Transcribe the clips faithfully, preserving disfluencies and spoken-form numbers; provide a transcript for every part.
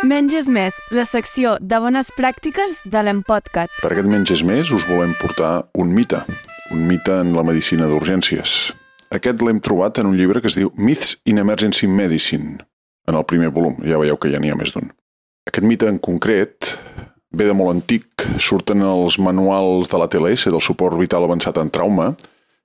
Menys és més, la secció de bones pràctiques de l'Empodcat. Per aquest Menys és més us volem portar un mite, un mite en la medicina d'urgències. Aquest l'hem trobat en un llibre que es diu Myths in Emergency Medicine, en el primer volum, ja veieu que ja n'hi ha més d'un. Aquest mite en concret ve de molt antic, surten els manuals de l'A T L S, del suport vital avançat en trauma,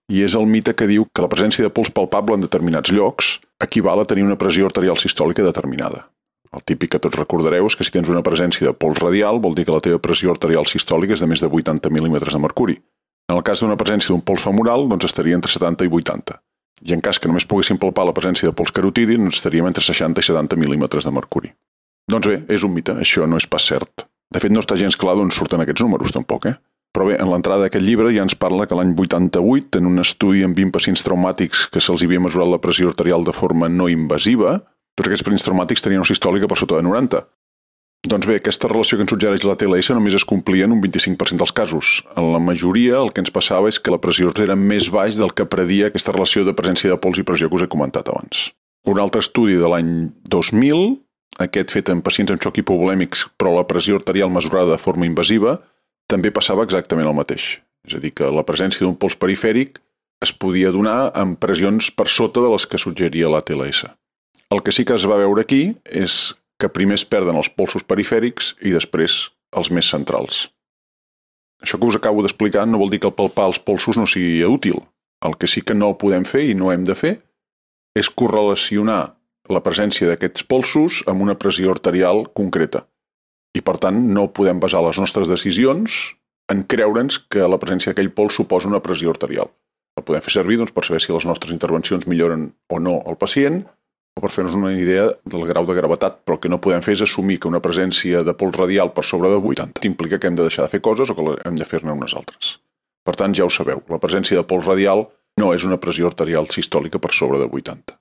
i és el mite que diu que la presència de pols palpable en determinats llocs equival a tenir una pressió arterial sistòlica determinada. El típic que tots recordareu és que si tens una presència de pols radial vol dir que la teva pressió arterial sistòlica és de més de vuitanta mil·límetres de mercuri. En el cas d'una presència d'un pols femoral, doncs estaria entre setanta i vuitanta. I en cas que només poguéssim palpar la presència de pols carotidi, doncs estaríem entre seixanta i setanta mil·límetres de mercuri. Doncs bé, és un mite, això no és pas cert. De fet, no està gens clar d'on surten aquests números, tampoc, eh? Però bé, en l'entrada d'aquest llibre ja ens parla que l'any vuitanta-vuit, en un estudi amb vint pacients traumàtics que se'ls havia mesurat la pressió arterial de forma no invasiva, tots aquests pacients traumàtics tenien una sistòlica per sota de noranta. Doncs bé, aquesta relació que ens suggereix la T L S només es complia en un vint-i-cinc per cent dels casos. En la majoria el que ens passava és que la pressió era més baix del que predia aquesta relació de presència de pols i pressió que us he comentat abans. Un altre estudi de l'any dos mil, aquest fet en pacients amb xoc hipovolèmics, però la pressió arterial mesurada de forma invasiva, també passava exactament el mateix. És a dir, que la presència d'un pols perifèric es podia donar amb pressions per sota de les que suggeria la T L S. El que sí que es va veure aquí és que primer es perden els polsos perifèrics i després els més centrals. Això que us acabo d'explicar no vol dir que el palpar els polsos no sigui útil. El que sí que no podem fer i no hem de fer és correlacionar la presència d'aquests polsos amb una pressió arterial concreta. I per tant no podem basar les nostres decisions en creure'ns que la presència d'aquell pols suposa una pressió arterial. El podem fer servir doncs, per saber si les nostres intervencions milloren o no el pacient, o per fer-nos una idea del grau de gravetat, però el que no podem fer és assumir que una presència de pols radial per sobre de vuitanta implica que hem de deixar de fer coses o que hem de fer-ne unes altres. Per tant, ja ho sabeu, la presència de pols radial no és una pressió arterial sistòlica per sobre de vuitanta.